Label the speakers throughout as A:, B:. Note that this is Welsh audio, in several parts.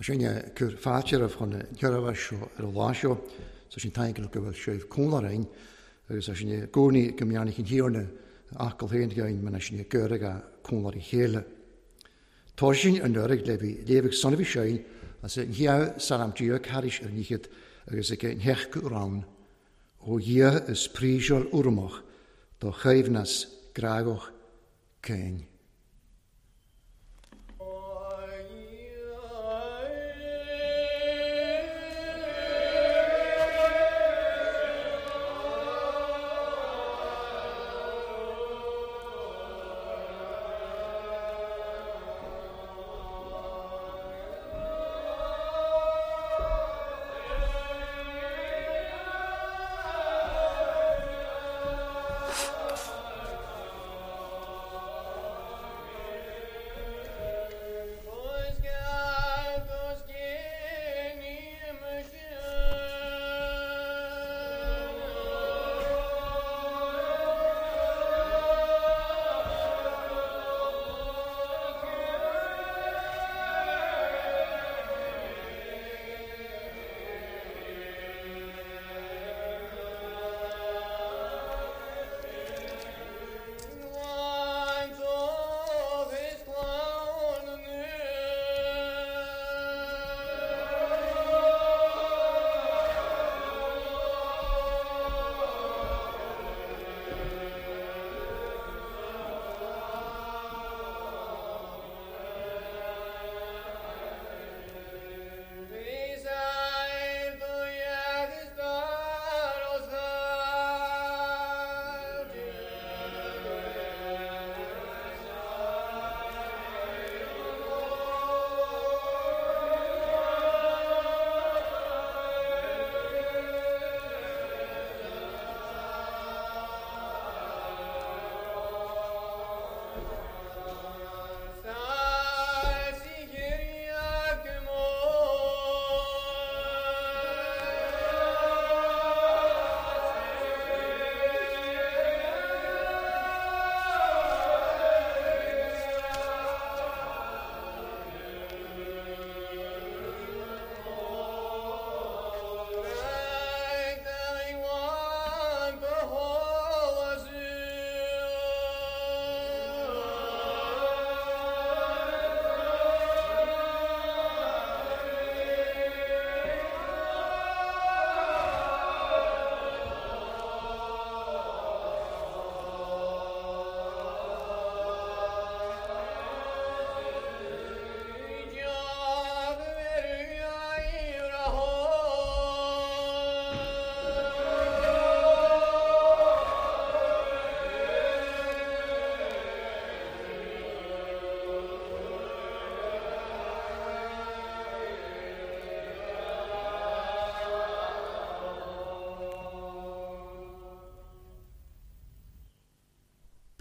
A: Tá sin ag cur fáilte roimh chun an tseirbhís seo ar an lá seo. Tá sin taingeal go bhfuil sibh cúnla againn agus tá sin i gcónaí go mbeannaigh an Thiarna a fhocal féin againn mar sin ag cur ag cúnla a chéile. Tá sin an uair le bhí léamh ag Sonny Shine as an Shia Salam Dia Carish ar an Fhichead agus ag an Theach Rann ó Dhia is príseáil urramach do choibhneas grágach céin.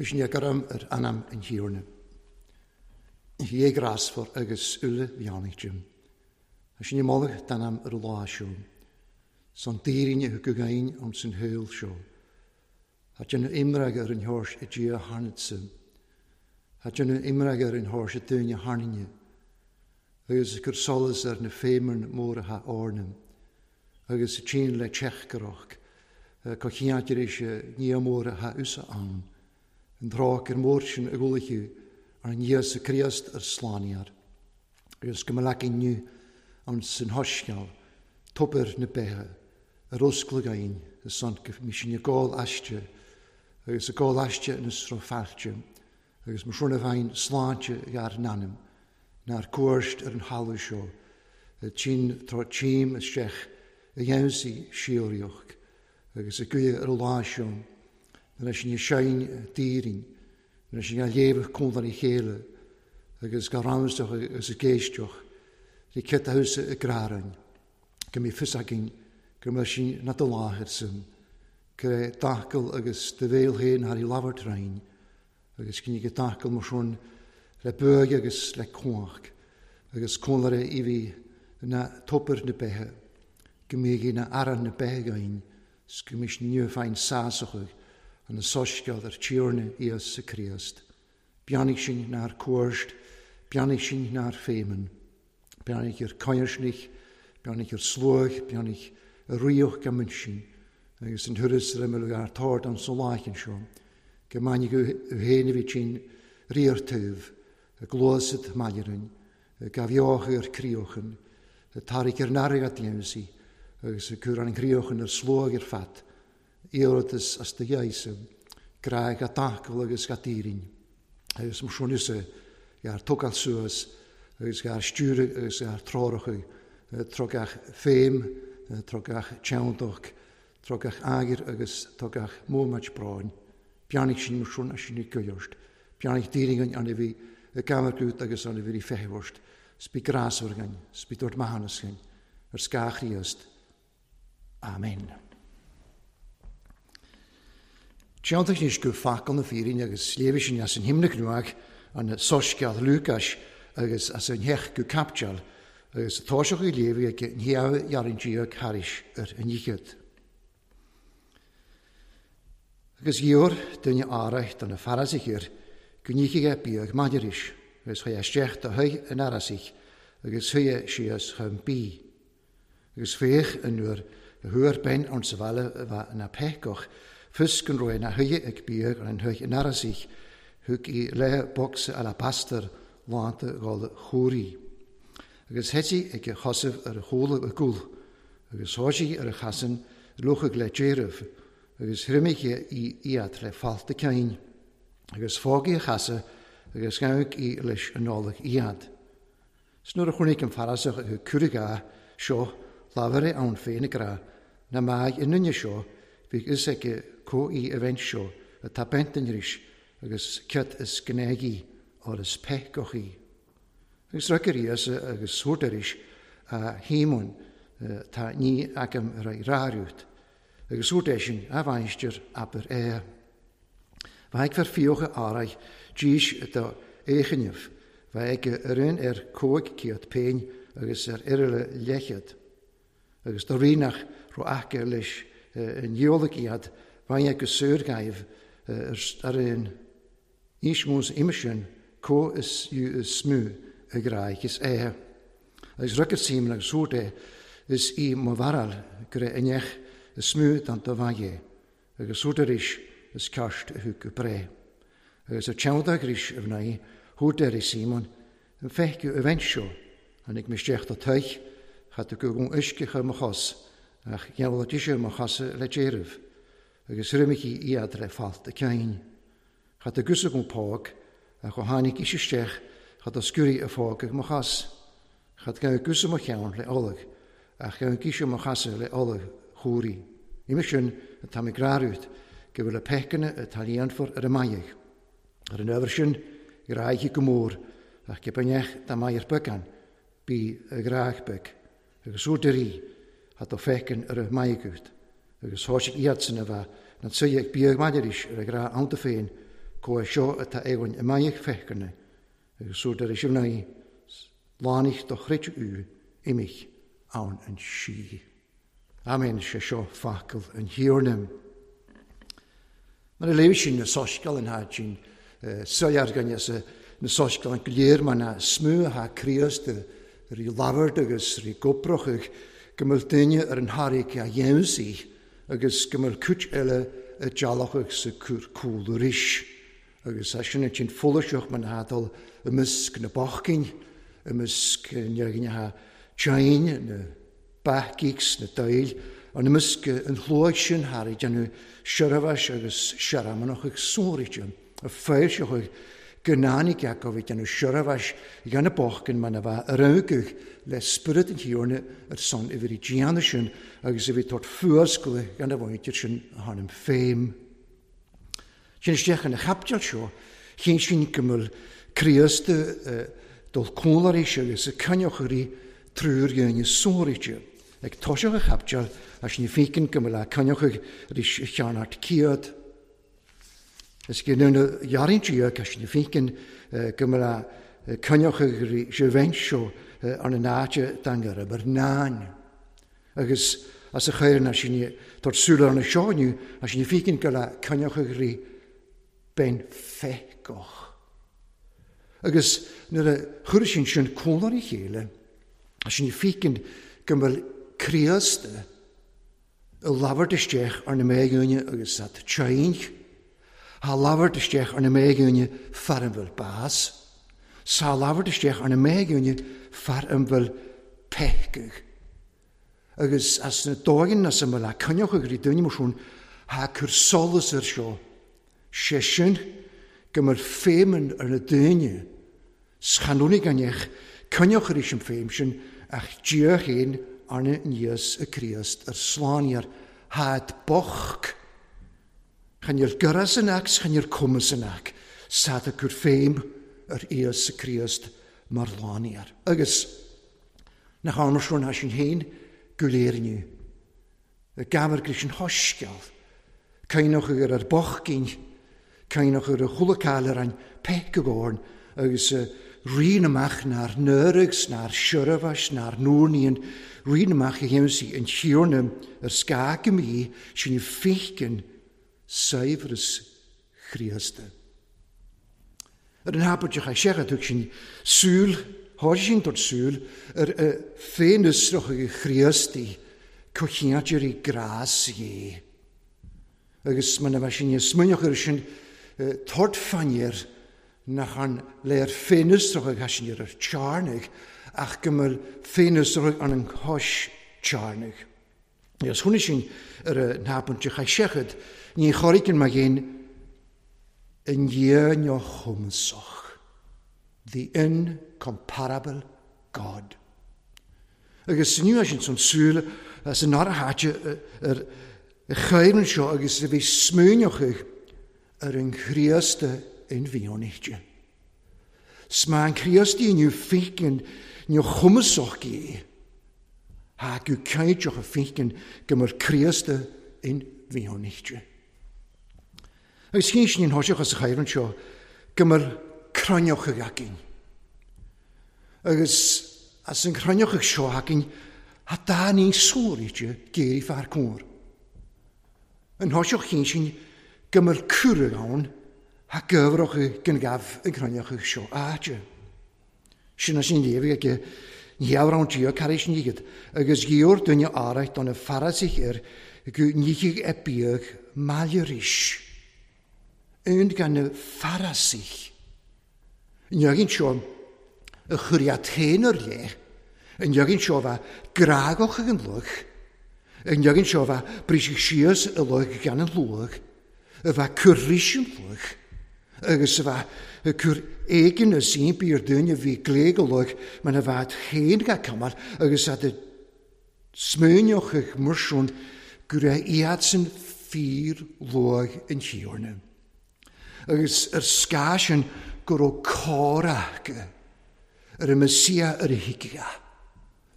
A: Bhí sin garam ar anam an Thiarna. Hé grásfar agus uile bheannaigh Jim. Tá sin i moladh d'anam ar an lá seo. San daoine a thug againn an san shaol seo. Tá déanamh imreag ar an thóirs i Dia tharnadsa. Tá déanamh imreag ar an thóirs i dúine tharnainne. Agus cur solas ar na féimeann móra tha orna. Agus tsin le teachgarach. Cá chiantir éis ní mór tha usa ann. An tráth ar mór sin a gcualaithe ar an Íosa Críost ar slánaíar. Agus go mba leac inniu an san hoisceal, tobar na beithe, ar oscladh againn i son go mí sin i gcáil aiste, agus i gcáil aiste ina sruth failte, agus mo shrona bheinn sláinte gar n-ainm, nár cuairt ar an thalamh seo, tinn tráth tím isteach a dhéansaí síoraíoch, agus a gcuidhe ar an lá seo, leis an sein daoirinn, leis an léamh cúnla a chéile, agus go ramsach agus a géisteach, le céta thusa i grárainn, go mí fios againn go mbeidh sin na do láthair san, go raibh d'acal agus do bhéal féin thar i labhairt rainn, agus cinn go d'acal mar sin le buaidh agus le cuach, agus cúnla i bhí na tobar na beithe, go mbíodh na aran na beithe againn, go mbí sin inniu féin sásach an soisceal ar Tiarna Íosa Críost. Beannaigh sin nár cuairt, beannaigh sin nár féimeann. Beannaigh ar coinsnich, beannaigh ar sluaigh, beannaigh ar ríoch go mbuin agus an thuras ar imeall ar tord an sa láichin seo, go mbainfidh go féin a bhí tinn riartaobh, a gluasad maillearainn, gabh ar críochan, tarraig ar n-airgead dhéansaí, agus cur an críochan ar sluaigh ar fad, iarratas as do dheise, grá ga tacail agus ga dírinn. Agus mar sin is gar tógáil suas agus gar stiúradh agus gar treoracha, trogach féim, trogach teanntach, trogach aigir agus trogach mómait bráin. Beannaigh sin mar sin as sin i gcuirt. Beannaigh dírinn an a bhí i gcamarcút agus an a bhí feitheamhart. Sbí grásmhar againn, sbí dúirt maithiúnas againn, ar scáth Chríost. Amen. Teanntach anois go focal na fírinne agus léifidh sin as an himna cnuach an soiscéal Lúcáis agus as an theach go capteal agus toiseach i léamh ag an theamh dhearn Dia thairis ar an oíchead. Agus gheobhair duine áraith do na Farasaithe go ndíofaidh é bíodh maidiris, agus chuaigh isteach do thigh an Fharasaigh agus shuigh síos chun bídh. Agus féach an uair a thuar bean ann sa bhaile a bheith ina péacach, fios go raibh ina shuighe ag bíodh ar an thigh an Fharasaigh, thug í leith bocsa alabastair lánta dhul chúraí. Agus thit sí ag a chosaibh ar a chúla a gcúl, agus thoisigh ar a chasan luchadh le déireamh, agus thriomaigh í iad le fálta cinn, agus fágaidh a chasadh agus gabhadh í leis an Nollaig iad. 'S nuair a chonaic an Farasach a cuireadh seo, labhair é ann féin ag rá, Na maigh i nduine seo, bhí fhios aici có í a bheint seo atá bent an ris agus cead is gnéig í, or is peicach í. Agus rug ar Íosa agus thabhairt aris, A Shíomóin, tá ní agam a raibh ráiriút. Agus thabhairt eisean, A mháistir, abair é. Bheadh fear fiuchadh áraidh dís do fhéichinnibh, bheadh aige ar aon ar 500 péin agus ar uireille leithchead. Agus do rí nach raibh aice leis an dhiabhal iad, bheadh go saor gaibh ar aon Níos mó uime sin, có is fhiú is mó a ghráig is é. Agus rug ar Síomon agus thabhairt é, is í mo bharráil go raibh inneach is mó don do mhaith é, agus thabhairt arís is ceart a thug go breith. Agus ar teannta arís a mhnaoi, thabhairt air Síomon, an feicthe a bheint seo, tháinig mé isteach do toigh, cha do go uisce chur mo chos, ach gheall ise mo chosa le déireamh, agus thriomaigh í iad le falt a cinn. Cha do gus agam póg, ach ó tháinig ise isteach, cha do sciúraí a phóg ag mo chos. Cha do gabh gus mo cheann le ollag, ach gabh ise mo chosa le ollag chúraí. Uime sin atá mé grárút, go bhfuil a peiceanna atá líonfar ar a maidhc. Ar an ábhar sin, gráighe go mór, ach go beanneach dá maith ar beagán, bí a ghráig beag, agus úr de rí, a do feiceann ar a maidhc agus thoisigh iadsan a bheith na tsuighe ag bíodh maidiris ar a ghrá iontu féin, có é seo atá éagainn i maidhc feiceanna, agus úr de rí mhnaoi, lánaigh do chreid ú imich ann an sí. Amen, sé seo focal an Thiarna. Mar a léigh sin na soiscéal an háit sin, soiléir againne sa na soiscéal an go léir mar na smú atá Críost rí labhairt agus rí goprachadh go mbeadh duine ar an tharraig a dhéansaí agus go mbeadh cuid eile a dealachadh sa cúr cúl arís. Agus é sin an tsin folaiseach mar na dul i measc na bochcinn, i measc na ghnithe teine, na bathgeeks, na daoil, an i measc an chluaigh sin thar ag déanamh seirbheis agus searmanach ag sóraite, a foilseochaidh go náinig acu ag déanamh seirbheis dhéanamh bochcinn mar na bheith a raghadh le spiorad an Thiarna ar son a bhí déanamh sin agus a bhí tabhairt fuascailte gan a mhuintir sin a tháinig féim. Sin isteach ina chaipiteal seo, chinn sin go bhfuil Críost dul cúnlairís agus a coinneochairí triúr dhéine sóraite. Ag toiseach a chaipiteal, as ní fícin go bhfuil a coinneochaidh arís a cheann céad. Is go ndéanadh dhearthaíonn sí agus ní fícin go bhfuil a coinneochaidh arís a bheint seo ar an áit dangar mar náin. Agus as a chuireann as sin tabhairt súil ar na seo inniu, as ní fícin go bhfuil a coinneochaidh arís bein feiceach. Agus nuair a chuir sin sin cónair a chéile, Sin fícinn go bhfuil Críost i labhairt isteach ar na méigiúine agus at tseint. Thá labhairt isteach ar na méigiúine fear an bhfuil bás. 'S thá labhairt isteach ar na méigiúine fear an bhfuil peithceadh. Agus as na dóigheanna as a mbeadh a coinneochadh rí duine mar sin, thá cur solas air seo. Sé sin go mbeadh feidhm ar na daoine 's chan fhuinig an each coinneoch arís an feidhm sin ach Dia féin arna níos i Críost ar slánaíor tháid bocht. Chan fhuil gurras an each 's chan fhuil cumas an each 's thád ag cur feidhm ar Íosa Críost mar shlánaíor. Agus nach ann mar sin thá sinn féin go léir inniu. I gcabhair leis an shoiscéal, caoineadh ar ar bochginn, caoineadh ar a chuala cáil ar an peithceagórn agus rian amach nár náirigh 's nár seirbheis nár n-úrnaíonn rian amach a dhéanfaidh an Tiarna ar scáth go mbí sin fíchinn saibhreas Chríosta. Ar an thapaid a chaith sé a thug sin súil, thosaigh sin tabhairt súil ar a féinfhiosrach Chríostaí, comhcheanntairí grás Dhé. Agus muna bheadh sin níos smaoineach air sin, tabhairt fán air nach an léir féinfhiosrach a chaith sin ar tearnaigh ach go mbeadh féinfhiosrach an an chois tearnaigh. Agus chonaic sin ar a n-abaint de chaith seichead, ní chorraíonn mo ghéin i ndiaidh neochumasach, the incomparable God. Agus inniu sin san súil as an ára háite ar a chaorann seo agus a bhí smaoineochaidh ar an Chríosta inmhianaithe. 'S má an Críostaí inniu fícinn neochumasach gé, thá go cinnteach a fícinn go mbeadh Críosta inmhianaithe. Agus chinn sin an thoiseach as a chaorann seo go mbeadh cruinneochaidh againn. Agus as an chruinneochaidh seo againn, thá dá ní sóraíte géirí fear cóir. An thoiseach chinn sin go mbeadh cuireadh ann thá gaibhreacha den ghabh ag cruinneacha seo áite. Sin as an léamh aige ní amhrán Dia car éis níghead agus gheobhair duine áraith do na Farasaigh air go nífidh a biadh maille arís. Aon gan na Farasaigh. An leagan seo a chuir iad féin ar leith, an leagan seo a bheith grágach ag an luch, an leagan seo a bheith briseadh síos i luch gan an luach, a bheith cur rís an luch, agus a bheith cur éigin is impí ar duine a bhí glé go luch mar a bheadh féin ga cumal agus a smaoineochadh mar sin go raibh iadsan fíor luath an Thiarna. Agus ar scáth sin go raibh cóir acu ar an Mesia ar a thuigfeá.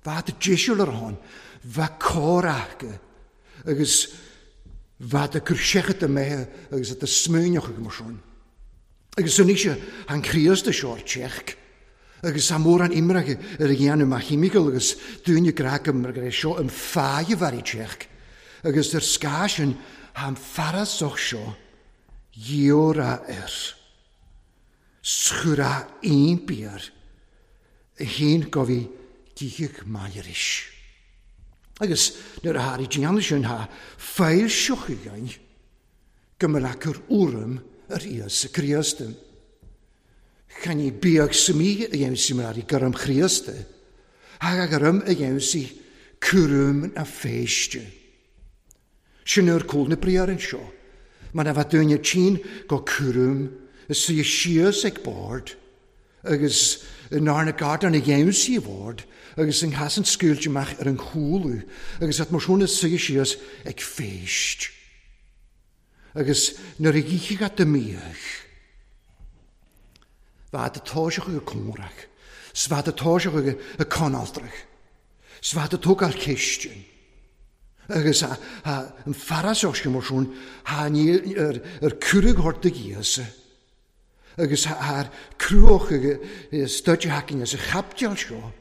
A: Bheadh deiseal ar ann, bheadh cóir acu agus bheadh ag cur seicheamh mbeithe agus a smaoineochadh mar sin. Agus anois an Críost seo ar teach agus tá mórán imreacha ar a dhéanamh mar chimical agus dúinne grá go mar go seo an fáidh a bheith teach agus ar scáth sin tá an farasach seo Ghiorra air. 'S chuir a impí air a fhéin go bhí gíog maith aris. Agus nuair a tháinig déanamh sin tha foilseochaidh againn go mbeadh a cur urraim ar Íosa Críost. Chan ní bíodh smí a dhéanamh sí mar i gcurram Chríosta, thá a gcurram a dhéanamh sí cúram na féiste. Sin ar cúl na briathar anseo, mar a bheadh duine tinn go cúram is suí síos ag bord agus nár na gardáin a dhéanamh sí a bhord agus an chasann scaoilte amach ar an chúlú agus at mar sin is suí síos ag feist. Agus nuair a dhíthigh at do mhiach, bheadh do toiseach ag comhrac, 's bheadh do toiseach ag conaltrach. 'S bheadh do tógáil cistine. Agus an fearasach sin mar sin, thá ní ar cuireadh ort do Íosa. Agus thá ar cruach staid haicinn as a chaipiteal seo,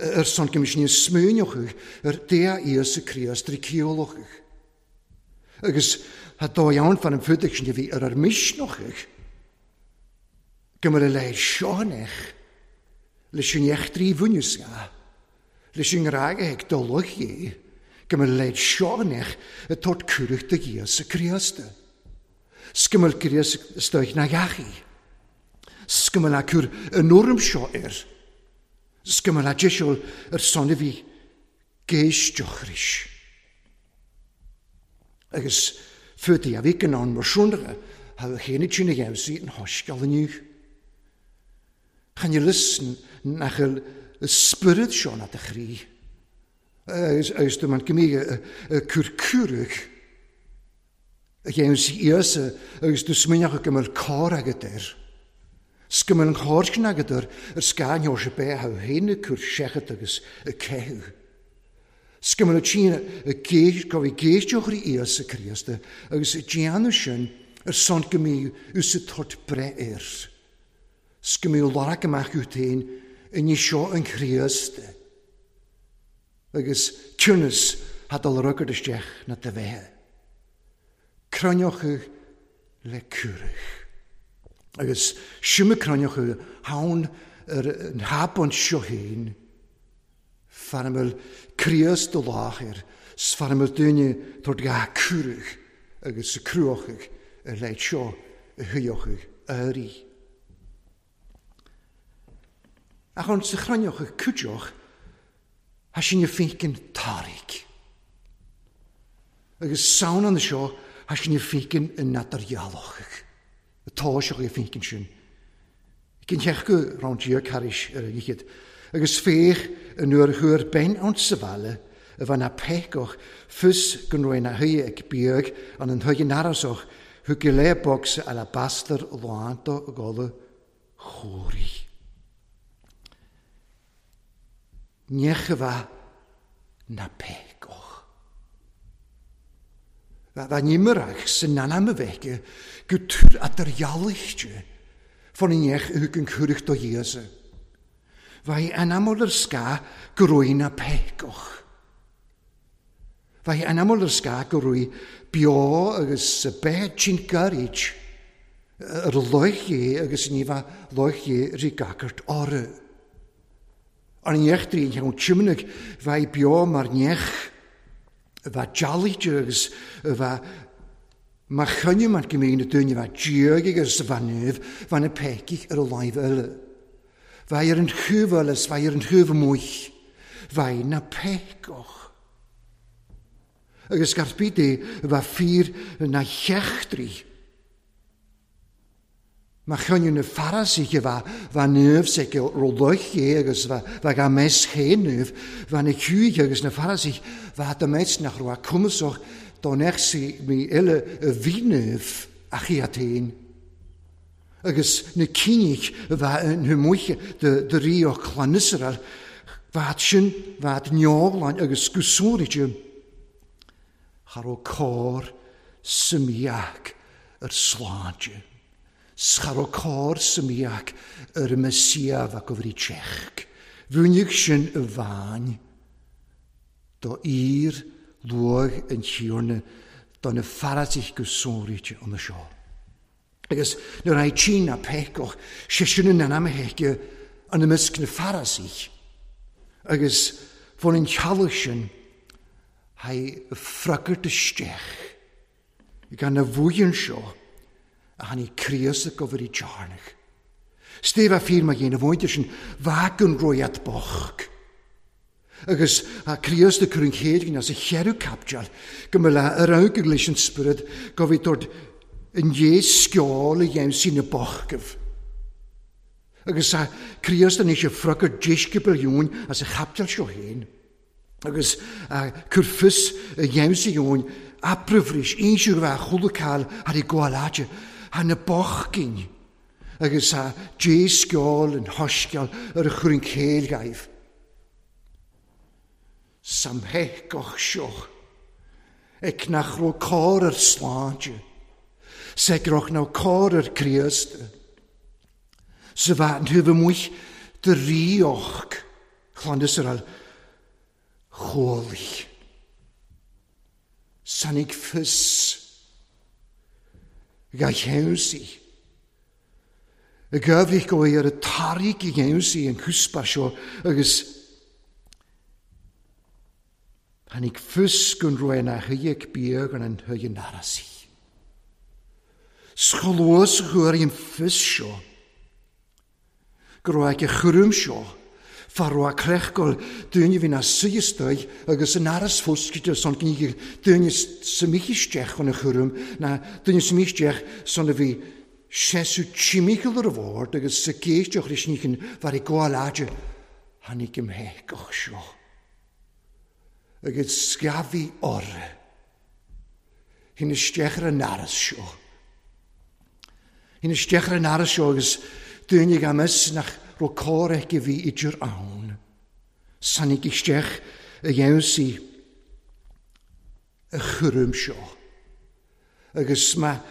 A: ar son go mbeidh sin smaoineochaidh ar Dea Íosa Críost trí ciallachadh. Agus thá dóigh ann fan an fuadaigh sin a bhí ar ár misneochaidh. Go mbeadh a leithéid seo in each leis an eachtraí bhunús ga. Leis an ngrá a ag do lucht Dhé, go mbeadh leid seo anois ag tabhairt cuireadh do Íosa Críost. 'S go mbeadh gríos istoích na gheachaí. 'S go mbeadh a cur an urraim seo air. 'S go mbeadh a deiseal ar son a bhí géisteochris. Agus fuataí a bhí in ann mar siúndacha, ha chéanna sin a dheimhsigh an shoiscéal inniu. Chan fhuil fhios nach bhfuil an spiorad seo ná do chroí. Agus do man go mbíodh ag cur cuireadh a dhéanamh Íosa agus do smaoineochadh go mbeadh cor agat air. 'S go mbeadh an chor sin agat air ar scáth an Sheosaimh Beatha féin ag cur seicheamh agus ag ceitheadh. 'S go mbeadh tinn ag go bhí géisteochraí Íosa Críosta agus ag déanamh sin ar son go mbíodh ús ag tabhairt breith air. 'S go mbíodh lorg amach uait féin i ndiaidh seo an Chríost agus ciúnas thá dul rugad isteach na do bheithe. Cruinneochadh le cuireadh. Agus sin cruinneochadh ann ar an thaispeáint seo féin. Fear a bhfuil Críost i láthair 's fear a bhfuil daoine tabhairt dhá cuireadh agus a cruachadh ar leith seo a shuíochadh uirthi. Ach ann sa chruinneochadh cuideoch thá sin a féiceann tarraig. Agus samhain ann seo thá sin a féiceann in eadardhealachadh. Atá seo a féiceann sin. Cinn theach go raibh an Dia carís ar a fhichid, agus féach an uair a chuir bean ann sa bhaile a bheith ina péacach fios go raibh ina shuí ag biadh an an thuig an arasach thug go leith bocsa alabastair lán do gholadh chóirí. Neach a bheith ina péacach. Bheith nimhreach san anam a bheith aici go túr eadardhealaithe fán neach a thug an cuireadh do Íosa. Bheith anamúil ar scáth go raibh ina péacach. Bheith anamúil ar scáth go raibh beo agus beith tinn gairid ar luich é agus ní bheadh luich é rí gacairt orthu. An neach drín cheann tiomnaigh bheith beo mar neach a bheith dealaithe agus a bheith mar choinne mar go mbíonn na daoine a bheith diaidh agus a bheith naomh, bheith na peicigh ar a láimh eile. Bheith ar an thaobh eile is bheith ar an thaobh amuigh. Bheith na peiceach. Agus gar bith é a bheith fíor na heachtraí. Má choinneadh na Farasaithe bheith naomh s'aici ro luich é agus bheith á meas féin naomh, bheith na Giúdaigh agus na Farasaithe bheith do meas nach raibh a cumasach dá mbeadh sí mí eile a bhí naomh ach iad féin. Agus na cínigh a bheith na muiche de rí ó chlann Iosrael, bheadh sin bheadh neoghláin agus go sonraithe. Cha raibh cor sa mhiach ar sláinte. 'S cha raibh cor sa mhiach ar an Mesia bheadh go bhrí teach. Mhúineadh sin i bhfáin do fhíor luath an Thiarna do na Farasaithe go sonraíte ann seo. Agus nuair a tchí na péacach, sé sin in ainm a héice an imeasc na Farasaithe. Agus fón an teallach sin, haghaidh freagairt isteach gan a bhuíon seo a tháinig Críost ag obair i dtearnach. Steve a fíor mar dhéanamh mhuintir sin bheadh an roiat bocht. Agus a Críost ag cur an chéad ghin as a cheithre caipiteal go mba le ar amharc leis an Spiorad go bhí tabhairt i ndiaidh sceol a dhéanamh sí na bochtaibh. Agus a Críost anois ag freagairt deisceabail Eoin as a chaipiteal seo féin. Agus a cur fios a dhéanamh sí Eoin abrabhris inseadh a bheith chuala cáil thar i gcomhair áite thar na bochtainn. Agus a dé-sceol an shoisceal ar a chur an chéill dhaoibh. Samheiceach seo, ag nach raibh cor ar sláinte, 's ag raibh ná cor ar Críost, sa bhean taobh amuigh de ríocht Chlann Iosrael chualaidh. Sainnigh fios ga cheansaí. I gcuimhnigh go bhfuil ar an tarraig a cheansaí an cuspa seo agus. Tháinig fios gon raibh ina shuigheadh beag an an arasaí. 'S chomh luath 's a chuaigh an fios seo go raibh ag a chúram seo, fá raibh a creichgáil daoine a bhí ina suí istoigh agus an aras foscailte san gníomh daoine sa mích isteach chun a chúram ná daoine sa mích isteach san a bhí seasamh timcheall ar a bhord agus sa gcéisteach leis ní chun bheith ag gabháil fhaide tháinig an mheidhgeach seo. Agus sceamhaigh orra. Shín isteach ar an aras seo. Shín isteach ar an aras seo agus daoine gan fhios nach raibh cor aici a bhí idir ann. Tháinig isteach a dheimhsigh a chúram seo. Agus má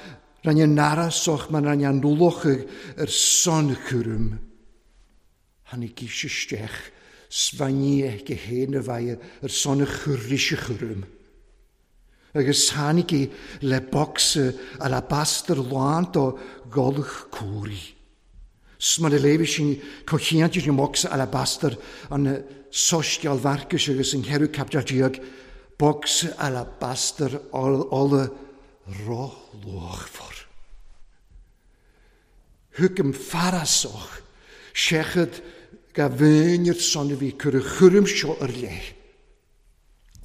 A: rinne an arasach, má rinne an ualach ar son chúraim, Tháinig ise isteach 's bhain í aici féin a bheidh ar son a chuiris a chúram. Agus tháinig í le bocsa alabastair lán do gholg cumhraí. 'S mar a léifidh sin comhchinnte an bocsa alabastair an Soiscéal Mharcais agus an cheathrú caibidil déag, bocsa alabastair ola róluachmhar. Thug an farasach seicheamh dá mhaoin ar son a bhí cur a chúraim seo ar leith,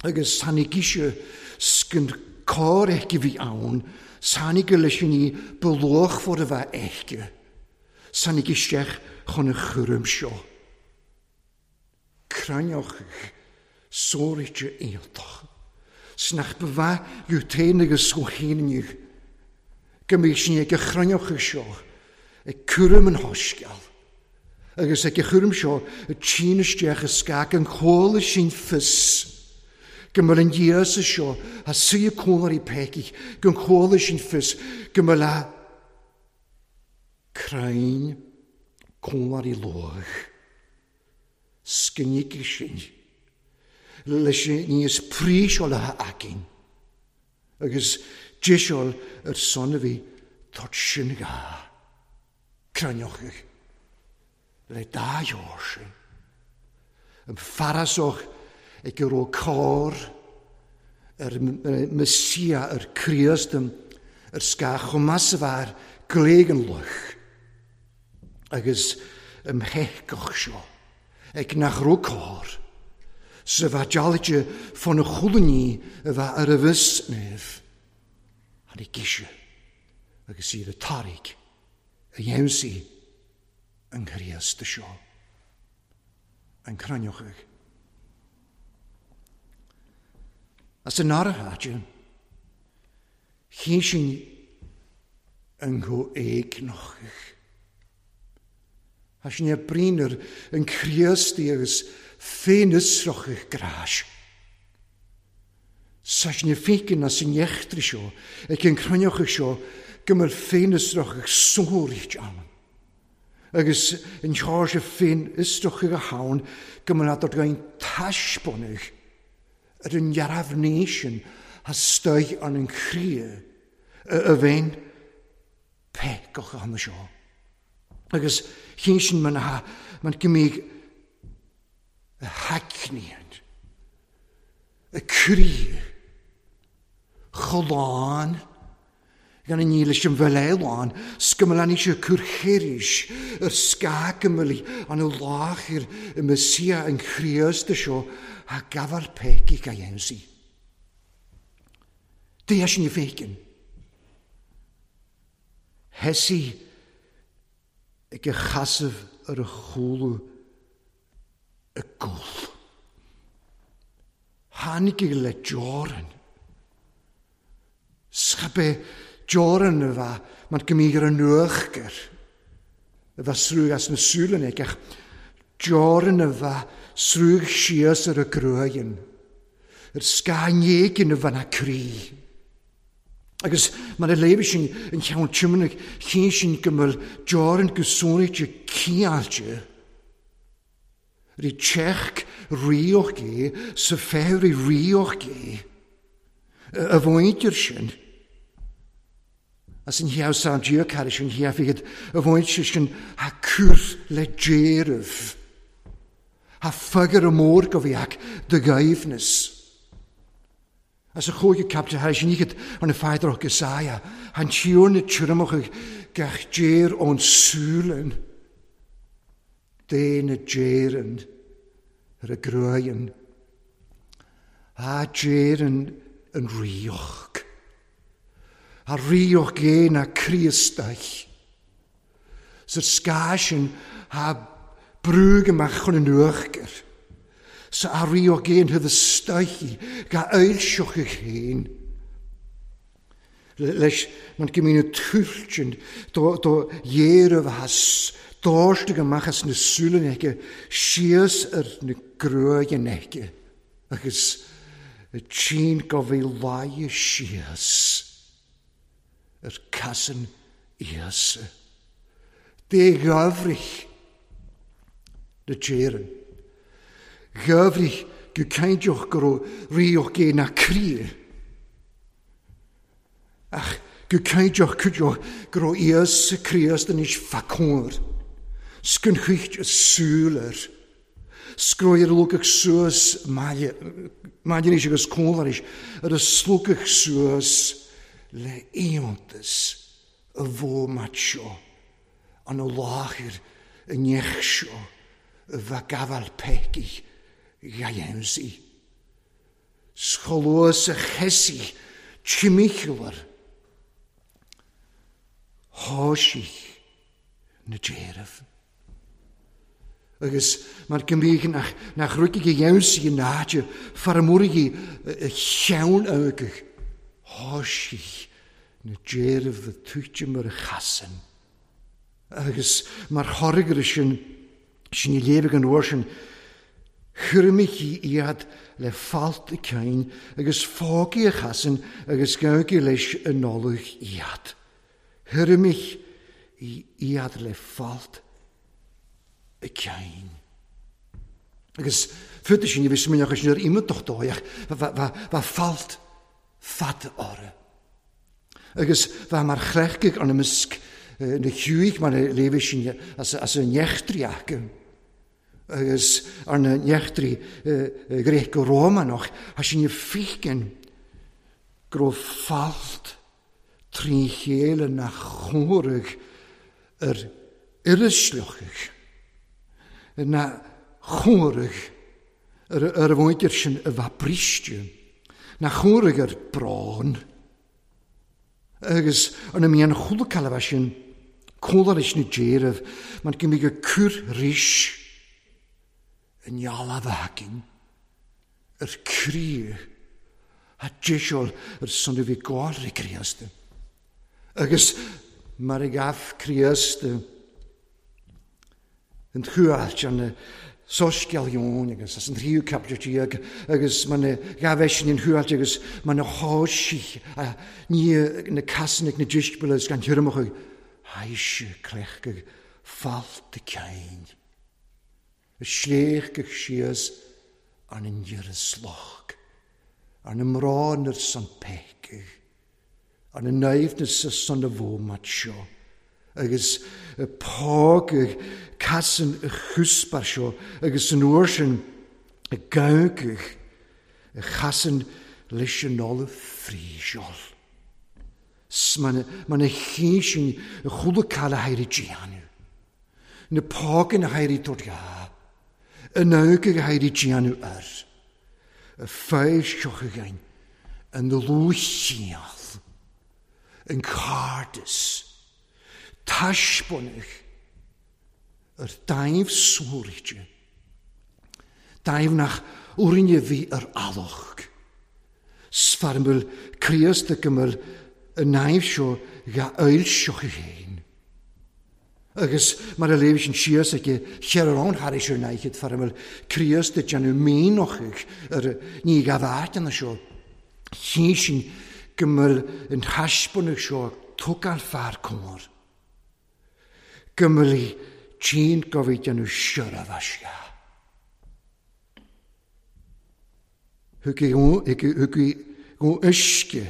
A: agus tháinig ise 's gan cor aici a bhí ann, 's tháinig leis an ní ba luachmhar a bheith aici, 's tháinig isteach chun a chúraim seo. Cruinneochaidh sóirt iontach 's nach ba mhaith liú féin agus go héinne go mbeadh sin ag a chruinneochaidh seo ag cúram an shoiscéal agus ag a chúram seo ag tine isteach i scag an chomhla sin fios go mbeadh an Íosa seo a suí cónairí peicigh go chomhla sin fios go mbeadh a crainn cónairí luath. Scinigh sin leis an ní is príseálaithe againn agus deiseáil ar son a bhí tort sin gá cruinneochaidh le dá dheor sin. An farasach ag go raibh cor ar Messia ar Críost ar scáth chomh maith sa bhfear gléig an luch. Agus im theithgeach seo, ag nach raibh cor, 's a bheith dealaithe fá na chulainní a bheith ar a bhfios naomh, tháinig ise agus iad a tarraig a dheimhsigh an Chríost seo, an cruinneochaidh. As an áirithe áite, Chinn sin an chomh éigneach. Tá sin ar bruíon ar an Chríostaí agus féinfhiosrach gráis. Tá sin ar féiceann as an eachtra seo, ag an chruinneachadh seo, go mbeadh féinfhiosrach sóirt ann. Agus an teoirse féinfhiosrach a ann go mbeadh adar againn taispeánadh ar an ndearbhní sin astoigh an an chroí a bheinn péacach ann seo. Agus chinn sin man ha man go mbíodh a thaitníonn a croí chomh lán Gan a ní leis an bhfeileán, 's go mbeadh sé cur thairis ar scáth go mbeadh an láthair i Messia an Chríost seo a gabháil péicí a dhéanamh. Dia sin féiceann. Heisi ag a chasamh ar a chúlú i gcúl. Tháinig le deorainn. Scaipfidh deorainn a bheith mar go mbíodh ar an uachtar a bheith srúg as na súile ach deorainn a bheith srúg síos ar a gruaigin, ar scáth éigin a bheith ina croí. Agus mar a léirigh sin an ceann tiomána, chinn sin go mbeadh deorainn go sonraíte ciáilte. Rí teach ríoch é sa féar i ríoch é. A mhuintir sin, as an cheann san Dia caris an cheann a mhuintir sin ha cur le déireamh. Ha fagair mór go bhí ac de ghaibhneas. As a chúigeadh caipiteal thar sin iad ar na Pheadar agus Isaiah, han Tiarna tirimach gach dear ón Sualainn, Dé na dTéireann ar a gcruaidheann, a dTéireann an ríoch, a ríoch gé na Críostaich. Sa scáth sin thá brúgh amach chun an uachtair, sa a ríoch gé an thuibh istoichí ga fhoilseochadh féin. Leis man go mbíonn an tuilt sin do ghéaraibh as dóirtigh amach as na súile aici síos ar na gruaigheanna aici agus tchín go bhí laighe síos ar casan Íosa. Dé gheimhridh na dTéireann. Gheimhridh go cinnteach go raibh ríoch gé na críche. Ach go cinnteach cuideoidh go raibh Íosa Críost anois fa cóir, 's gon chuicht a súil air, 's go raibh ar a lugadh suas maille anois agus cúl arís, ar a slugadh suas le iontas a bhómat seo, an láthair i ndeich seo a bheith gabháil peicigh dha dheimhsigh. 'S chomh luath 's a chesaigh timcheall thoisigh na déireamh. Agus mar go mbíodh nach nach ruigigh a dheimhsigh in áit fear muirigh a cheann agaibh thoisigh na déireamh a tuitim ar a chasann. Agus mar thoradh air sin, sin a léirigh an uair sin, Chuirimidh iad le falt a cinn agus fágaidh a chasann agus gabhaigí leis an Nollaig iad. Chuirimidh iad le falt a cinn. Agus fúthu sin, ní bheidh smaoineachas sin ar iontach dóigh ach bheadh falt fada orthu. Agus bheadh mar chleachtaigh ar na misc na chiúigh mar a léifidh sin as a n-eachtraí acu. Agus ar na n-eachtraí Gréaco-Rómánach, tá sin ag feiceann go raibh falt trí chéile nach chomhaireadh ar uirísleochadh, nach chomhaireadh ar a mhuintir sin a bheith briste, nach chomhaireadh ar brón. Agus ar na mbíonn chuile cailleadh sin, cúla leis na déireamh, mar go mbíodh ag cur ris i ndealbh againn ar críoch a deiseol ar son a bhí gáil le Críost. Agus mar a ghabh Críost an chuairt ar na soiscéal Eoin agus as an tríú caipiteal déag agus mar na ghabh eisean an chuairt agus mar na thoisigh ní na casanna ag na deisceabail agus gan thirim acu thaise cleachtadh falt a cinn a sléibhte síos arna ndeireadh sloc arna mbrón ar son peacaigh Arna naimhneas san a bhómat seo, agus págadh casan a chuspair seo, agus san uair sin gabhadh a chasan leis an ollamh fríseáil. 'S mar na chinn sin a chuala cail a héirí déanamh, na págann a héirí tabhairt dhá, a n-amhcaigh a héirí déanamh air. a foilseochaidh an dlúthchiall, an cairdeas, taispeánadh ar daimh suaraite, daimh nach orainne a bhí ar alach. 'S fear a bhfuil Críost ag go mbeadh an naimh seo dhá fhoilseochaidh féin. Agus mar a léigh sin síos aici, cheir ann thairis ar ndaichead fear a bhfuil Críost ag déanamh mianachaidh ar ní ghabh áiteanna seo. Chinn sin go mbeadh an taispeánadh seo ag tógáil fear cóir. Go mbeadh tinn go bhí déanamh seirbheas ea. Thugaí go uisce,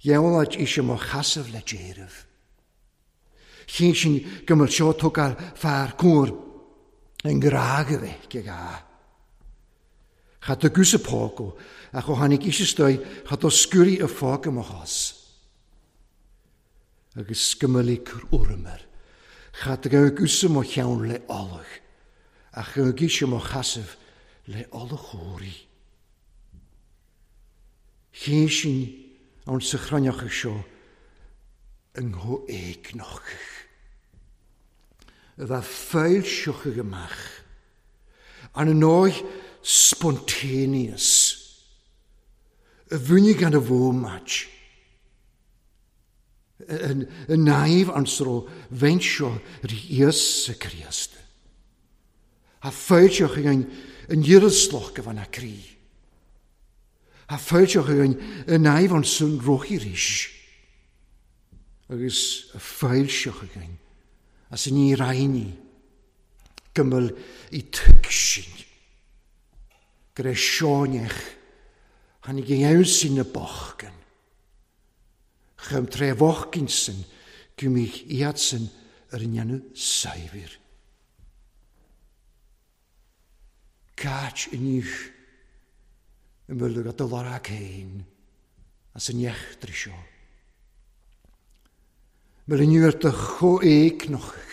A: dheabhláid ise mo chasamh le déireamh. Chinn sin go mbeadh seo tógáil fear cóir i ngrá go bheith ag a. Cha do gús a páco, ach ó tháinig ise istoigh cha do sciúraí a pháca mo chos. Agus go mba le cur urraim air, cha do gabhadh gúsa mo cheann le ola, ach gabhadh ise mo chasamh le ola chóirí. Cé sin ann sa chruinneachadh seo i ngó éigneachadh a bheith foilseochadh amach Ar ndóigh spontaneous a bhunaigh gan a bhomaite i naomh an sro bheint seo rí Íosa Críost. Tha fáilte chugainn an iarraslach go bhfana croí. Tha fáilte chugainn i naomh an san roichí rís. Agus fáilte chugainn as an ní raithní. Go mbeadh i tuigsint go raibh seoineach tháinig i ngeansaí na bochcan. Chum tré bhochcain san go mbíodh iadsan ar a ndéanamh saidhbhir. Cáit inniu i mbeadh a do lorg féin as an eachtra seo. Mar inniu ar do chomhéigneach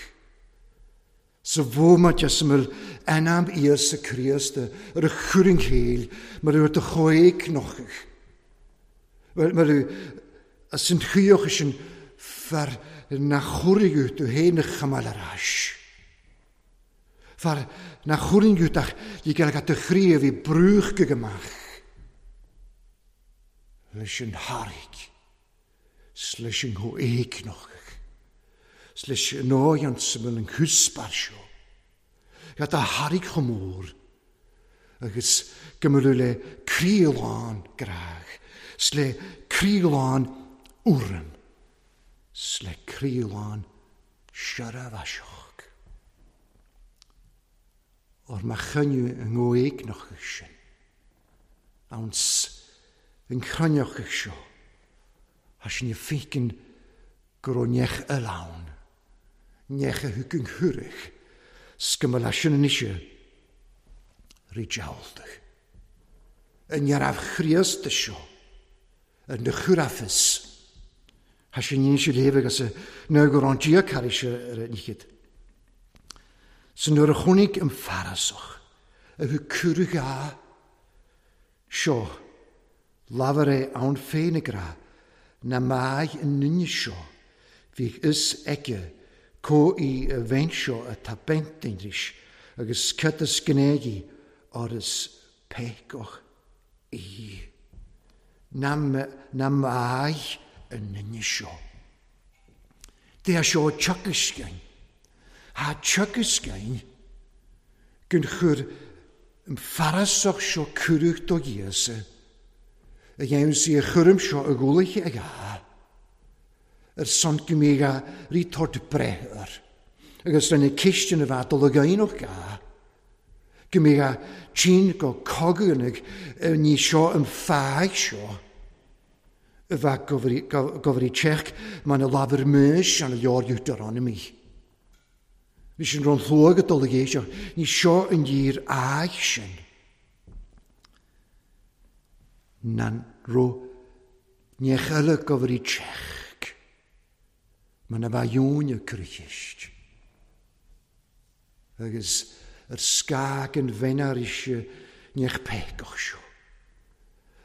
A: sa bhomaite as a bhfuil anam Íosa Críost ar a chur an chéill, mar ar do chomhéigneach, mar as an chaoch sin fear nach chóirigh tú féin a choimeád ar ais. Fear nach chóirigh tú ach le go do chroí a bhí brúchta amach leis an thairg. 's leis an gcomhéigneach, 's leis an áighean sa bhfuil an cúspar seo, gad a thairg chomh mór agus go mbeadh le croí lán grádh, 's le croí lán urraim, 's le croí lán seirbheaseach. Ór má choinniú an gcomhéigneach sin. Anns an chruinneachadh seo, tha sinn ag féachaint go raibh neach eile ann, neach a thug an chuireadh, 's go mba leis sin anois rí dealbh. I ndearbh Chríost seo, ar na churafas, tha sinn anois ag léamh agus nuair go raibh an Dia carraig ar a ndíchead. 'S nuair a chonaic an Farasach a thug cuireadh a, seo, labhair é ann féin ag rá, na maith an duine seo, bhíodh fhios aige có í a bheint seo atá baint anois agus cad is gné dhi óir is péacach í. Na, na maith an duine seo. Dé seo teagascain. Thá teagascain gun chuir an farasach seo cuireadh do Íosa a dhéanamh sí a chúram seo i gcúlaithe ag a ar son go mbíodh a rí tort breith air agus lena cistine a bheith dul ag aonach a go mbíodh a tinn go cogainigh ní seo an fáidh seo a bheith gobhairí tseach mar na labhair Maois an leor Deuteronomy. Bhí sin ron shlua go dul ag éisteacht, ní seo an dhír áidh sin. Nan ro neach eile gobhairí tseach mar na bheith dúinn ag cur cheist. Agus ar scáth an bheannair ise neach péacach seo.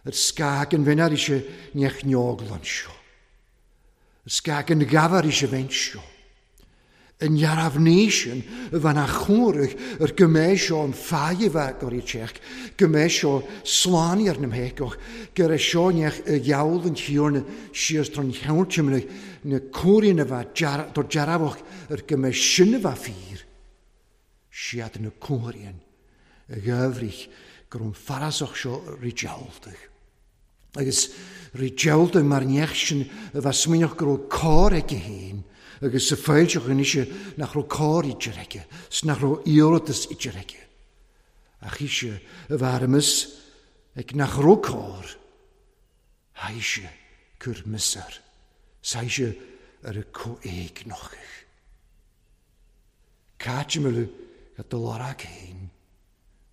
A: Ar scáth an bheannair ise neach neoglan seo. Ar scáth an ghabhair ise bheint seo. An dhearbh ní sin a bhean a chomhraidh ar go mbeidh seo an fáidh a bheith gur iad teach, go mbeidh seo slán ar na mhéacach, go raibh seo neach i gheall an Thiarna síos don cheann timire na cóirín a bheith do dearbhach ar go mbeidh sin a bheith fíor. Siad na cóirín a gheimhridh go raibh an farasach seo rídealtach. Agus rídealtach mar neach sin a bheith smaoineach go raibh cor aige féin agus sa foilseach anois nach raibh cor idir aige, 's nach raibh iarratas idir aige. Ach ise a bheith armas ag nach raibh cor, thaise cur miosar, 's thaise ar a comhéigneachadh. Cáit milleadh go do lorg féin.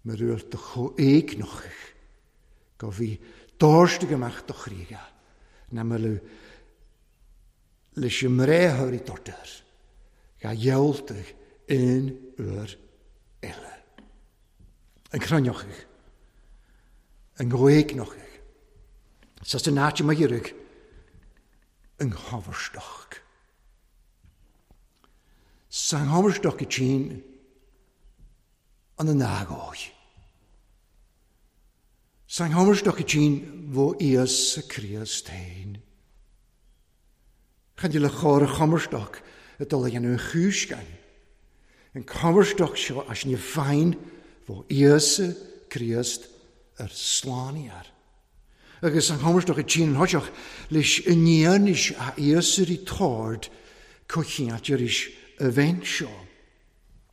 A: Mar bhfuil do chomh éagnochach go bhí dóirste amach do chríocha na mbeadh leis an mbreitheoirí dortar ga ghealltach aon uair eile. An cruinneochaidh, an ghaoigneochaidh, sa san áit a iarraidh an chomharstoc. San chomharstoc i tSín an an ágóidh. San chomharstoc i tSín bhó Íosa Críost féin. Chan le chóir a chomharstoc a dul a dhéanamh an chúisceáin. An comharstoc seo as ní féin bhó Íosa Críost ar slánaíar. Agus an chomharstoc i tSín an thoiseach leis an ndéanaís a Íosa rí tord cochiant arís a bheint seo.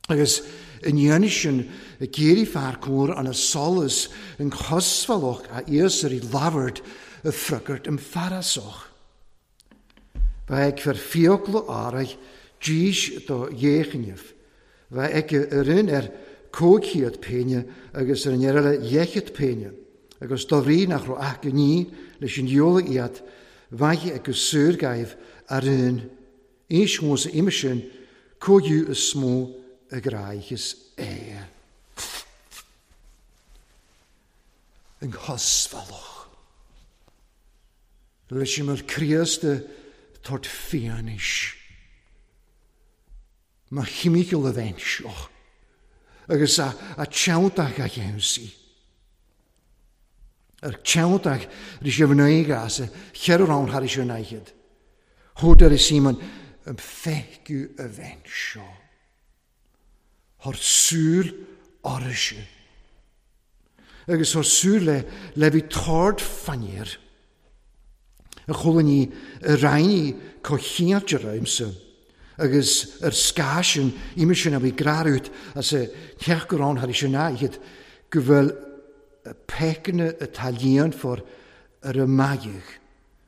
A: Agus an ndéanaís sin a géirí fear cóir an a solas an chosmhalach a Íosa rí labhairt a frugart an farasach. Bheith ag fer fiocla áraidh dís do dhéchinneamh. Bheith ag a rinn ar cóicíad péine agus ar an eile dhéchiad péine. Agus do rí nach raibh ach gní leis an diola iad, bheith ag go suargaibh a rinn. Éis mós a ime sin, cóigiú is mó a gráichis é. An chosmhalach. Leis an Críost tort fianis. Ma chimical a bheint seo. Agus a teanntach a cheansaí. Ar teanntach rí sé bhnaigh as a cheithre rán thar is ar naichead. Thód ar Simon an feiciú a bheint seo. Thar súil áirise. Agus thar súil le bhí tord fainnéar. A cholainní a roinní cochiant ar. Agus ar scásin ime sin a bhí grarút as a theach go rán thar is ar naichead go bhfuil pecna atá líon for ar a maigh.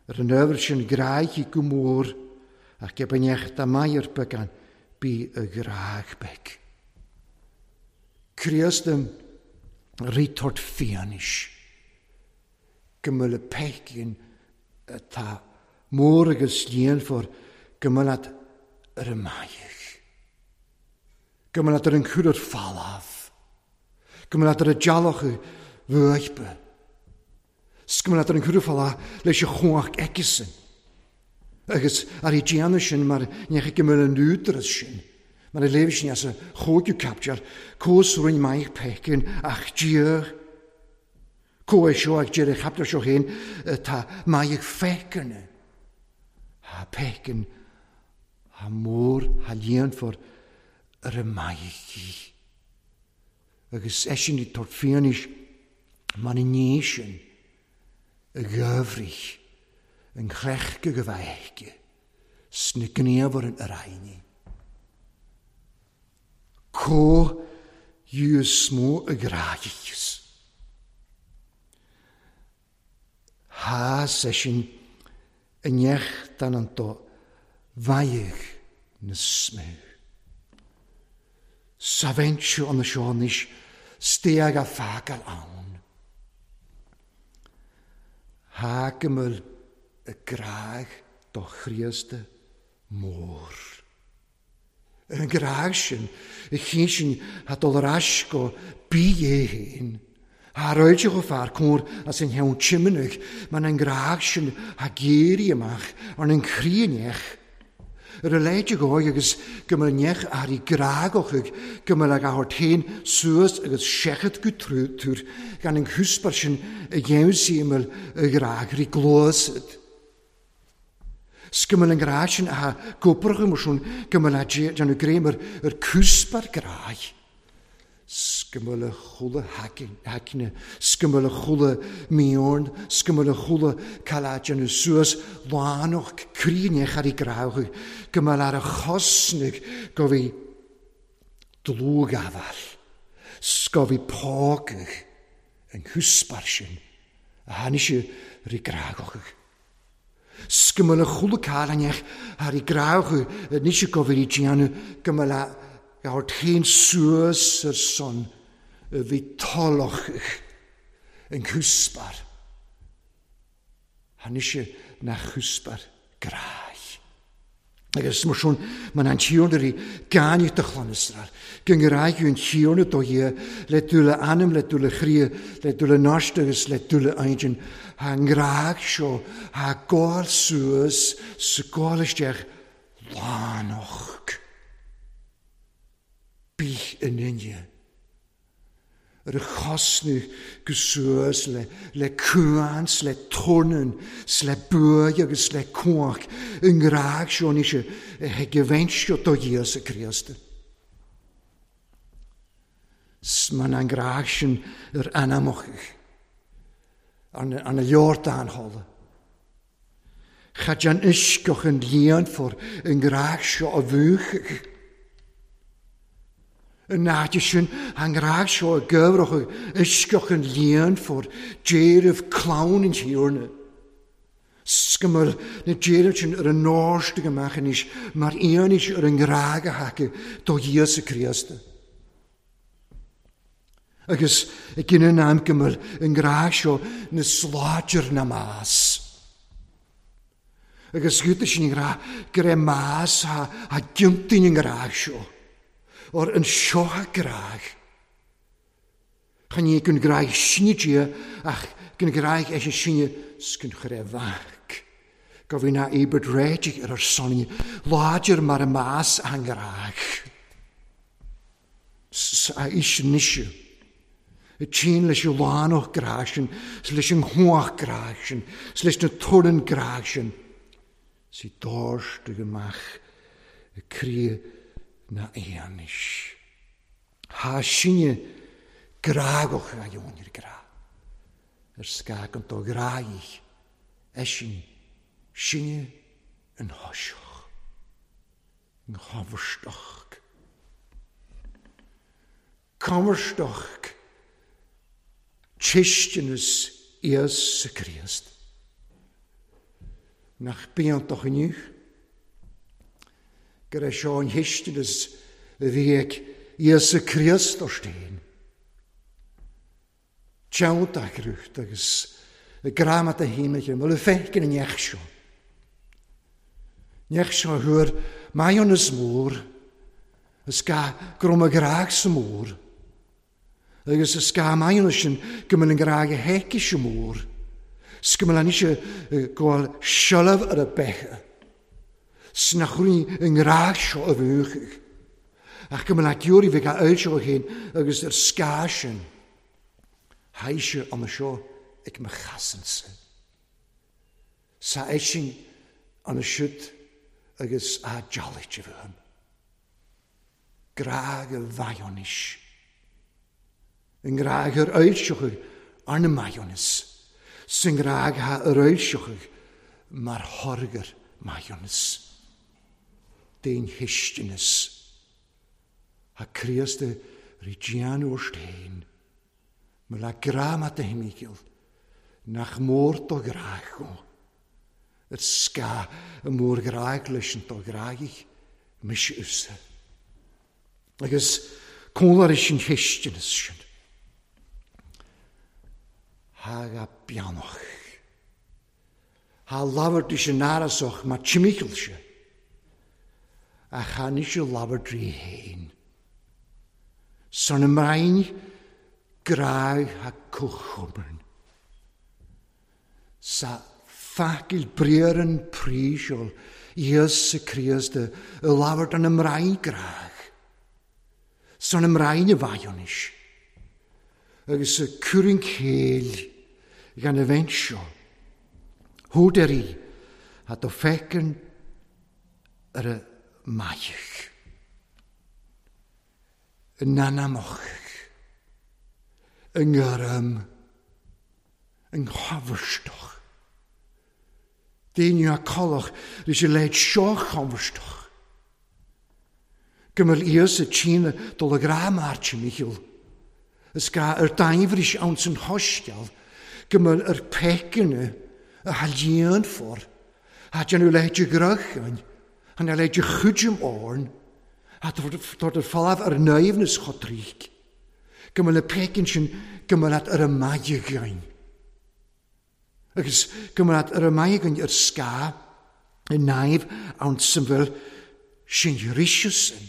A: Ar an ábhar sin gráichi go mór ach ge bainneach da maiar began bí a ghrág beg. Críost rí tort fianis. Go mbeadh le pecin atá mór agus líon for go mbeadh ar a maigh. Go mbeadh ar an chuir ar falámh. Go mbeadh ar a dealach bhuaipe. Go mbeadh ar an chuir ar leis a chuach aigesan. Agus ar i déanamh sin mar ní go mbeadh an údaras sin. Mar a léimh sin as a chóigiú captear, cós roinn maith pecin ach díoch. Có é seo ag deireadh chapter seo féin tá maith feicne. Ha pecin ha mór ha líonfar ar a maith. Agus eisin i tort fianis man i ní sin a gyfrich yn chrech go gyfaige sna gníomhar an araine. Có yw smó y graigis. Ha seisin yn iech dan an do vaigh na smú. Sa bheintú an na seonis steag a fágal ann. Ha gymyl y graig do Chríosta mór. Ar an graig sin, y chyn sin ha dul ar ais go bí é féin. Ha roilte go fear cór as an cheann timanach, man an graig sin ha géirí amach ar an chríonech. Ar a leite go agus go mbeadh neach ar i grágochaidh, go mbeadh ag a théin suas agus seachad go trútúr gan an chuspar sin a dhéanamh mbeadh a ghrág rí glósad. 'S go mbeadh an grág sin a gobrach mar sin go mbeadh a déanamh gréim ar cuspar gráig. 'S go mbeadh a chula haicne, 's go mbeadh a chula míorn, 's go mbeadh a chula cael déanamh suas lánach críonech ar i grágach, go mbeadh ar a chosnaigh go bhí dlúgafal, 's go bhí pógach an chuspar sin a tháinig sé ar i grágach. 'S go mbeadh a chula cael ar i grágach níos go bhí déanamh go mbeadh a théin suas ar son A bhí tollach an cúspar. Tháinig sé nach cúspar gráich. Agus mar sin, man an Tiarna rí gáinneach do chlann Iosrael, go ngraigh an Tiarna do Dhia le dúil a anam, le dúil a chroí, le dúil a neart agus le dúil a intinn, thá an grág seo, thá gabháil suas 's gabháil isteach lánach. Bíodh in inne. Ar a chosnú go suas le le cuan 's le tornán 's le buaidh agus le cuach i ngrádh seo anois a gheibheann do Íosa Críost. 'S man an grádh sin ar anamach arna leor dán hola. Cha dean uisceach an líonfar i ngrádh seo a mhúchadh. An áit sin, an ngrádh seo a gabhradh uisceach an líonfar d'éireamh clann an Thiarna. 'S go mbeadh na déireamh sin ar a n-órstigh amach anois mar fhianaise ar an ngrádh a thaca do Íosa Críost. Agus ag an am go mbeadh an grádh seo na sláidir na más. Agus gúta sin grá go raibh más a gciontaíonn an grádh seo. Or an seo a grádh. Chan ní gun grádh sinne Dia ach gun grádh eisean sinne 's gun chuir é mhac. Go bhí ná íobairt réitigh ar ár son láidir mar a más an grádh. 'S a fhís anois. A tchíonn leis an lánach grá sin, 's leis an chuach grá sin, 's leis na torann grá sin, 's í dóirstigh amach i croí na h-anois. Thá sinne grágach a dheoin ar grá, ar scáth an dó ghráigh, eisean sinne an thoiseach. An choimhthíoch. Coimhthíoch cistineas Íosa Críost. Nach bíontach inniu go raibh seo an chistineas a bhí ag Íosa Críost ort féin. Teanntach rút agus greamata hímige, mo le feiceann an neach seo. Neach seo a thuar maidhmeannas mór, is gá go raibh mo ghrá sa mór, agus is gá maidhmeannas sin go mbeadh an grá a héici sa mór, 's go mbeadh anois go bhfuil seilbh ar a beithe, 's nach raibh an ngrá seo a mhúchadh, ach go mbeadh giúirí bheith á fhoilsiú féin agus ar scáth sin, thaidhse an seo ag mo chasansa. Sa eisin an siúd agus á dealaigh uaim. Grá go mhaidhmeanais. I ngrá ar fhoilseochadh arna maidhmeanas, 's i ngrá ar fhoilseochadh mar thorgar maidhmeanas. D'aon chistineas. Thá Críost rí déanamh ort féin, mar le grá maith do thimígil, nach mór do ghrá dhó. Ar scáth a mórghráig leis an do ghráigh mise usa. Agus cóngar is an chistineas sin. Thá ga beannach. Thá labhairt is an árasach mar timígil se. Ach thá níos labhairt rí féin. San an mbrainn gráig thá comhchomairn. Sa facail briaran príseol Íosa Críost i labhairt an mbrainn gráig. San an mbrainn a bhaidhionis. Agus a cuireann céill gan a bheint seo. Húdairí a do feiceann ar a maidhc. I n-anamach, i ngairm, i nghabharstach. Daoine a collach leis an leid seo chomharstach. Go mbeadh Íosa trína dul a ghrá Máirtín Mhichíl. Is gá ar daimhris ann san shoiscéal go mbeadh ar peiceanna a thaillíonfar a déanamh leithéid de ghruacháin, a leithéid de chuidim orn, a tabhairt ar falamh ar naimhneas chotríc. Go mbeadh na péicin sin go mbeadh leat ar a maith againn. Agus go mbeadh leat ar a maith againn ar scáth i naomh ann san bhfuil sin ríseas sin.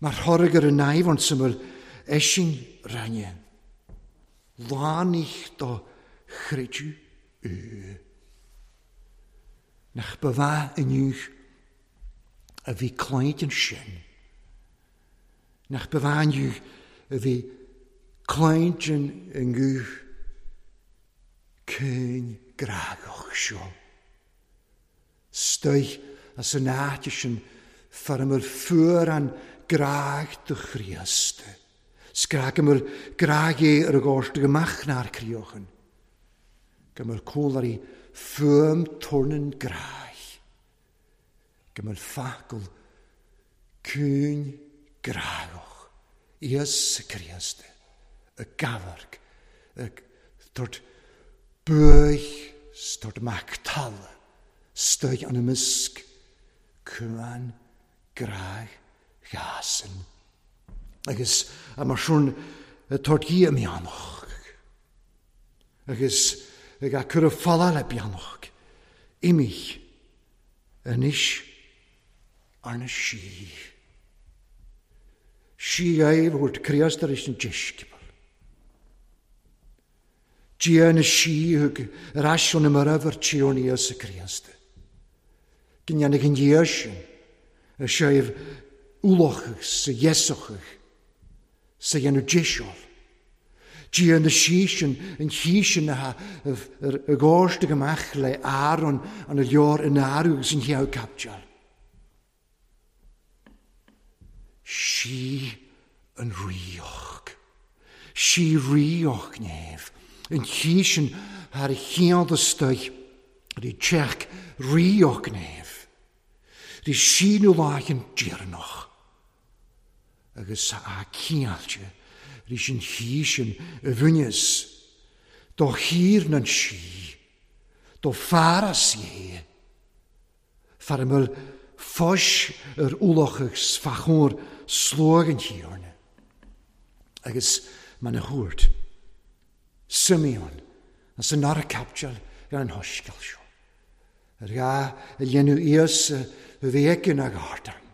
A: Mar thoradh ar an naomh ann san bhfuil eisin rainne. Lánaigh do chreideamh í. Nach ba mhaith inniu a bhí cloíte ansin. Nach ba mhaith inniu a bhí cloíte i nguth caoin grágach seo. Stoith as an áit sin far a bhfuil fuar an grág do Chríost. 'S grá go bhfuil grá Dhé ar a gcósta go mbeadh nár críochan. Go bhfuil cúlairí fuaim turnan gráig. Go bhfuil focal cúin grágach Íosa Críost ag amharc ag tabhairt buaidh 's tabhairt amach talamh 'stoigh an imeasc cuan gráig ghasan. Agus mar sin tabhairt Dhia meánach. Agus ag a cur a fola le beannacht, imigh anois arna sí. Sí é thabhairt Críost ar an deisceabal. Dia na sí thug ar ais ón marbh ar Tiarna Íosa Críost. Go ndéanfaidh an Dia sin a séimh ualach sa dheasachadh sa dhéanamh deiseal. Dia na sí sin, an chí sin atá i gcósta amach le Aaron an leor in áru agus an cheann capteáil. Sí an ríoch. Sí ríoch néamh. An chí sin thar a chiall istoigh rí teach ríoch néamh. Rí síniú láicheann deireanach. Agus a ciáilte rís an chí sin a bhaineas do thír nan sí, do fearas é, far a mbeadh fois ar ualach agus fá chomhair sluaigh an Thiarna. Agus man a thabhairt Simeon as an dara caipiteal ar an shoiscéal seo, ar ghá a dhéanamh Íosa a bhí aici ina ghardán.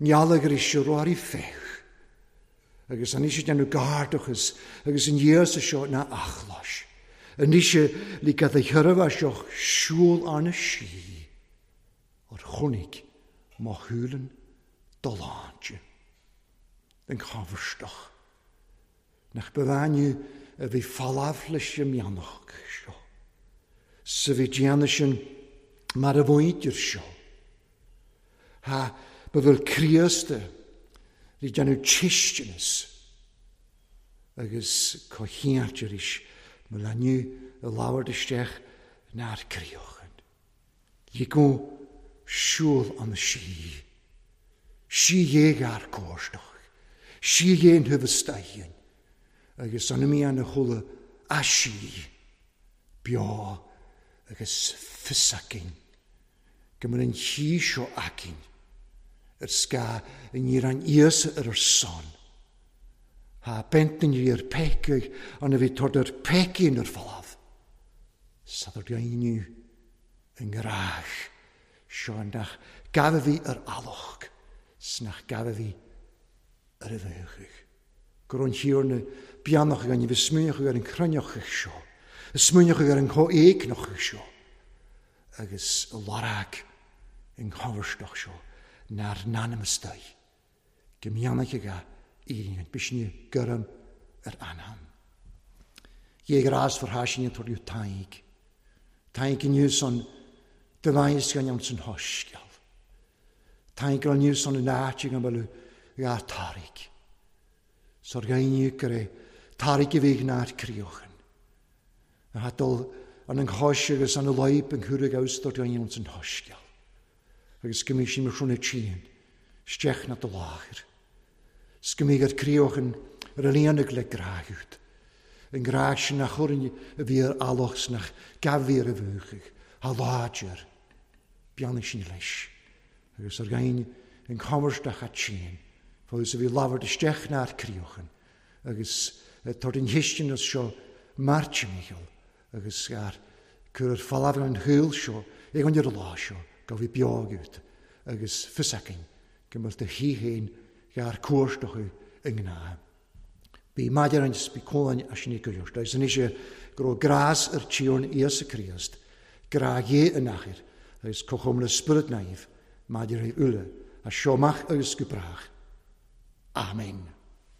A: Nealaigh arís a roirí féach. Agus anois ag déanamh gairdachas agus an Íosa seo ná achlais. Anois le gad a sheirbhe seo siúl arna sí or chonaic mo shúileann do shláinte. Den choimhthíoch. Nach ba bhean a bhí folamh leis an mianach seo. Sa bhí déanamh sin mar a mhuintir seo. Ha, ba bhfuil Críost ag déanamh cistineas agus comhcheannt arís mo leanú a labhairt isteach nár críochan. Ligeadh siúl an sí. Sí ghéar cóisteach. Sí ghéin thubhas agus an mian a chuala a sí beo agus fios againn go mbeadh an chí seo againn ar scáth i ndiaidh an Íosa ar ár son. Tá bent in ar pecaigh an a bhí tord ar peicín ar folamh. Sa dhaoine i ngrách seo nach gabh a bhí ar alach 's nach gabh a bhí ar a bheachaigh. Go raibh an Thiarna beannach againn a bhí smaoineach ar an chruinneachadh seo, a smaoineach ar an chomhéigneachadh seo, agus a lorg an chomharstach seo nár n-ainm istoigh, go mbeannaigh ag a éiríonn bisne gorm ar anam. Dhé ghrás for thaisinn an tuirliú Tadhg. Tadhg inniu san do bheidh gan ann san shoiscéal. Tadhg inniu san in áit ag an bhfuil dhá tarraig. Sar dhaoine gur é tarraig a bhí nár críochan. A dul an an chois agus an loib an chuaigh aus do dhaoine ann san shoiscéal. Agus go mbí sin mar sin trían, isteach na do láthair. 'S go mbí ar críochan ar a líonadh le gráthút. An grá sin nach chuireann a bhí ar alach 's nach gabh bhí ar a bhuachaidh, a láidir. Beannaigh sin leis. Agus ar dhaoine an chomarstach a tséan. Fós a bhí labhairt isteach nár críochan agus tabhairt an chistineas seo Máirt Mícheál agus ar cur ar falamh an shaoil seo ag an ar lá seo go bhí beo agat agus fios againn go mbeadh do thí féin gar cuairt acu i ngnáth. Bí maidir is bí cólainn as sin go leor. Agus anois go raibh grás ar Tiarna Íosa Críost, grá Dhé an Athair agus cothrom le Spiorad Naomh maidir le uile, as seo amach agus go brách. Amen.